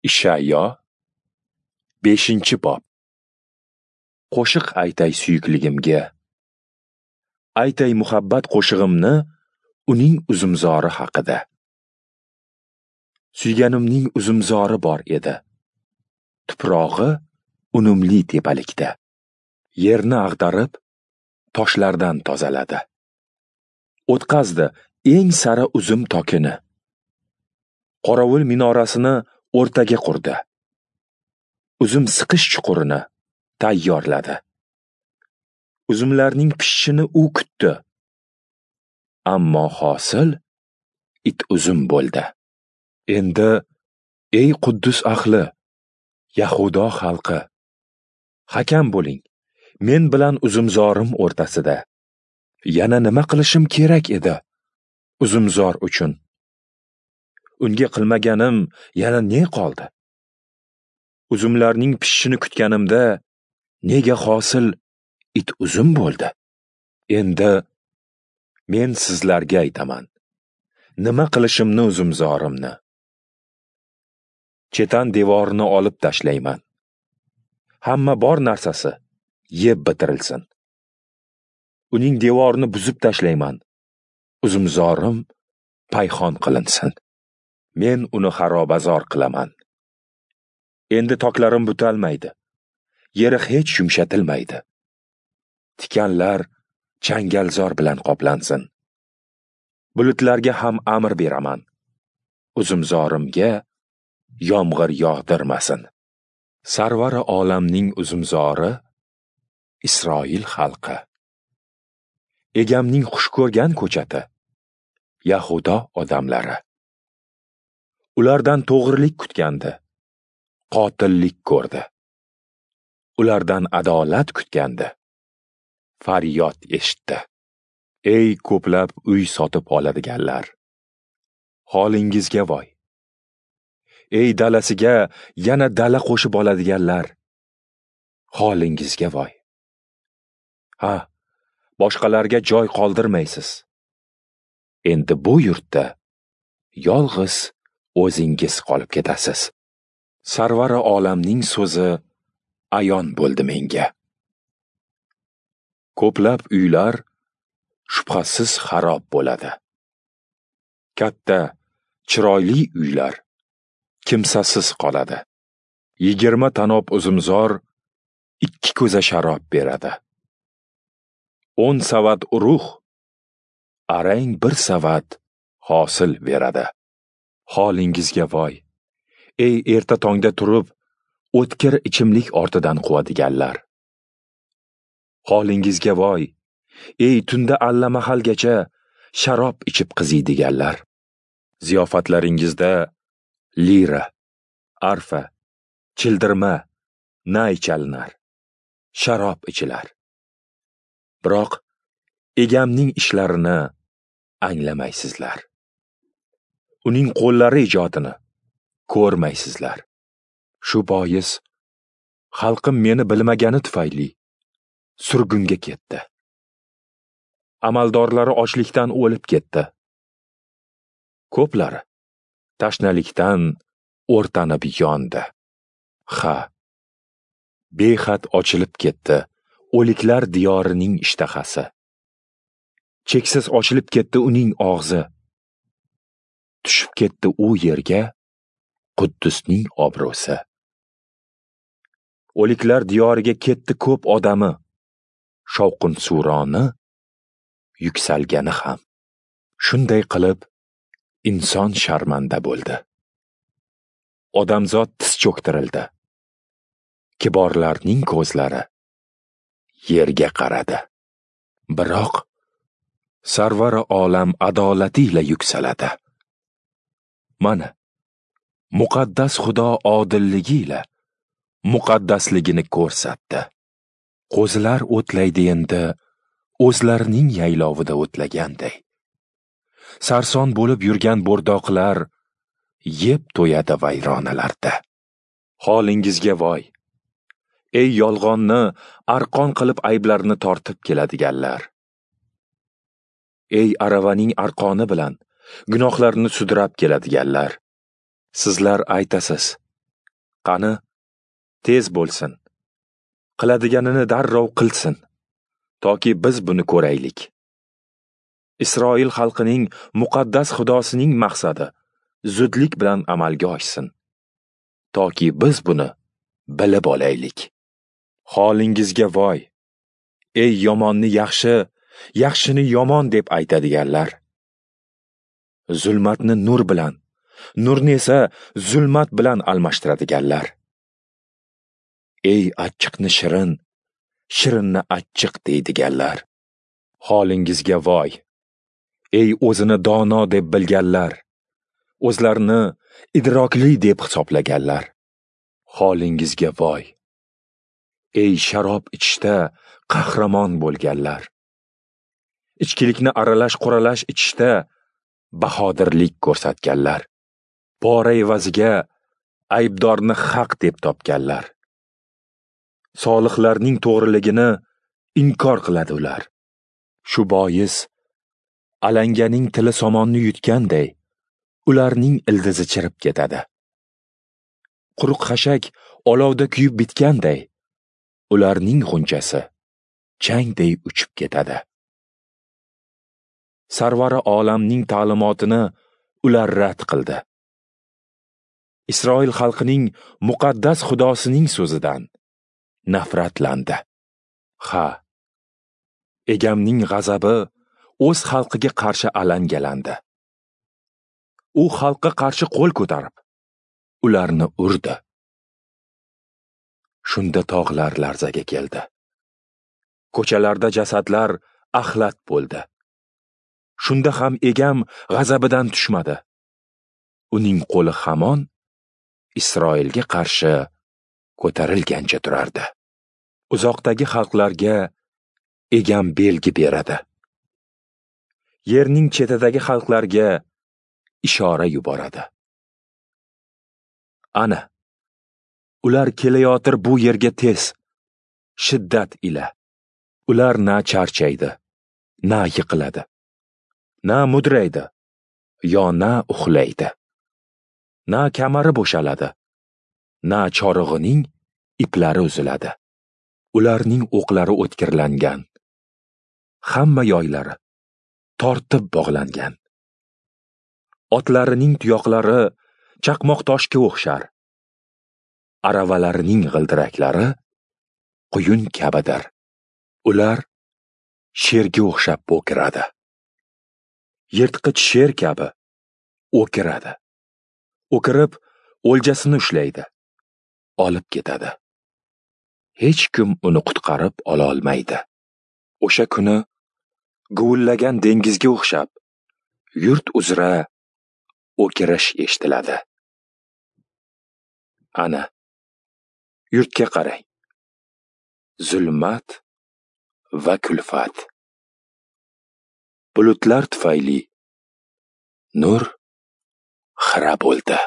Ishayo 5-bob. Qo'shiq aytay suyukligimga. Aytay muhabbat qo'shig'imni uning uzumzori haqida. Suyganimning uzumzori bor edi. Tuprog'i unumli tepalikda. Yerni ag'darib, toshlardan tozaladi. O'tqazdi eng sara uzum tokini. Qorovul minorasini o'rtaga qurdi. Uzum siqish chuqurini tayyorladi. Uzumlarning pishishini u kutdi. Ammo hosil it uzum bo'ldi. Endi ey Quddus ahli, Yahudo xalqi, hakam bo'ling. Men bilan uzumzorim o'rtasida. Yana nima qilishim kerak edi uzumzor uchun? Unga qilmaganim yana ne qoldi? Uzumlarning pishishini kutganimda nega hosil it uzum bo'ldi? Endi men sizlarga aytaman, nima qilishimni uzumzorimni. Chetan devorini olib tashlayman. Hamma bor narsasi yeb bitirilsin. Uning devorini buzib tashlayman. Uzumzorim payxon qilinsin. Men uni xarobazor qilaman. Endi toklarim butalmaydi. Yeri hech yumshatilmaydi. Tikanlar changalzor bilan qoplansin. Bulutlarga ham amr beraman. Uzumzorimga yomg'ir yog'dirmasin. Sarvari olamning uzumzori Isroil xalqi. Egamning xush ko'rgan ko'chati Yahudo odamlari. Ulardan to'g'rilik kutgandi, qotillik ko'rdi. Ulardan adolat kutgandi, faryod eshitdi. Ey ko'plab uy sotib oladiganlar, holingizga voy. Ey dalasiga yana dala qo'shib oladiganlar, holingizga voy. Ha, boshqalarga joy qoldirmaysiz. Endi bu yurtda yolg'iz o'zingiz qolib ketasiz. Sarvari olamning so'zi ayon bo'ldi menga. Ko'plab uylar shubhasiz xarob bo'ladi. Katta, chiroyli uylar kimsasiz qoladi. 20 tanob uzumzor 2 ko'za sharob beradi. 10 savat urug' arang 1 savat hosil beradi. Holingizga voy, ey erta tongda turib, o'tkir ichimlik ortidan quvadiganlar. Holingizga voy, ey tunda allamahalgacha sharob ichib qiziydiganlar. Ziyofatlaringizda lira, arfa, childirma, nay chalinar, sharob ichilar. Biroq egamning ishlarini anglamaysizlar. Uning qo'llari ijodini ko'rmaysizlar. Shu bois xalqim meni bilmagani tufayli surgunga ketdi. Amaldorlari ochlikdan o'lib ketdi. Ko'plari tashnalikdan o'rtanib yondi. Ha, behad ochilib ketdi o'liklar diyorining ishtahasi. Cheksiz ochilib ketdi uning og'zi. Tushib ketdi u yerga Quddusning obro'si. O'liklar diyoriga ketdi ko'p odami, shovqin-suroni yuksalgani ham. Shunday qilib inson sharmanda bo'ldi. Odamzod tiz cho'ktirildi. Kiborlarning ko'zlari yerga qaradi. Biroq Sarvari olam adolati ila yuksaladi. Mana muqaddas Xudo odilligi ila muqaddasligini ko'rsatdi. Qo'zilar o'tlaydi endi o'zlarining yaylovida o'tlaganday. Sarson bo'lib yurgan bo'rdoqlar yeb to'yadi vayronalarda. Holingizga voy, ey yolg'onni arqon qilib ayblarni tortib keladiganlar. Ey aravaning arqoni bilan gunohlarni sudrab keladiganlar. Sizlar aytasiz, Qani, tez bo'lsin. Qiladiganini darrov qilsin, toki biz buni ko'raylik. Isroil xalqining muqaddas Xudosining maqsadi zudlik bilan amalga oshsin, toki biz buni bilib olaylik. Holingizga voy, ey yomonni yaxshi, yaxshini yomon deb aytadiganlar. Zulmatni nur bilan, nurni esa zulmat bilan almashtiradiganlar. Ey achchiqni shirin, shirinni achchiq deydiganlar. Holingizga voy, ey o'zini dono deb bilganlar, o'zlarini idrokli deb hisoblaganlar. Holingizga voy, ey sharob ichishda qahramon bo'lganlar. Ichkilikni aralash-quralash ichishda bahodirlik ko'rsatganlar. Pora evaziga aybdorni haq deb topganlar. Solihlarning to'g'riligini inkor qiladi ular. Shu bois alanganing tili somonni yutganday, ularning ildizi chirib ketadi. Quruq xashak olovda kuyib bitganday, ularning g'unchasi changday uchib ketadi. Sarvari olamning ta'limotini ular rad qildi. Isroil xalqining muqaddas Xudosining so'zidan nafratlandi. Ha, egamning g'azabi o'z xalqiga qarshi alangalandi. U xalqqa qarshi qo'l ko'tarib, ularni urdi. Shunda tog'lar larzaga keldi. Ko'chalarda jasadlar axlat bo'ldi. Shunda ham egam g'azabidan tushmadi. Uning qo'li hamon Isroilga qarshi ko'tarilgancha turardi. Uzoqdagi xalqlarga egam belgi beradi. Yerning chetidagi xalqlarga ishora yuboradi. Ana, ular kelayotir bu yerga tez, shiddat ila. Ular na charchaydi, na yiqiladi, na mudraydi, yo na uxlaydi. Na kamari bo'shaladi, na chorig'ining iplari uziladi. Ularning o'qlari o'tkirlangan, hamma yoylari tortib bog'langan. Otlarining tuyoqlari chaqmoq toshga o'xshar. Aravalarining g'ildiraklari quyun kabidir. Ular sherga o'xshab o'kiradi. Yirtqich sher kabi o'kiradi. O'kirib o'ljasini ushlaydi, olib ketadi. Hech kim uni qutqarib ola olmaydi. O'sha kuni guvillagan dengizga o'xshab yurt uzra o'kirish eshitiladi. Ana, yurtga qarang. Zulmat va kulfat. Bulutlar tufayli nur xira bo'ldi.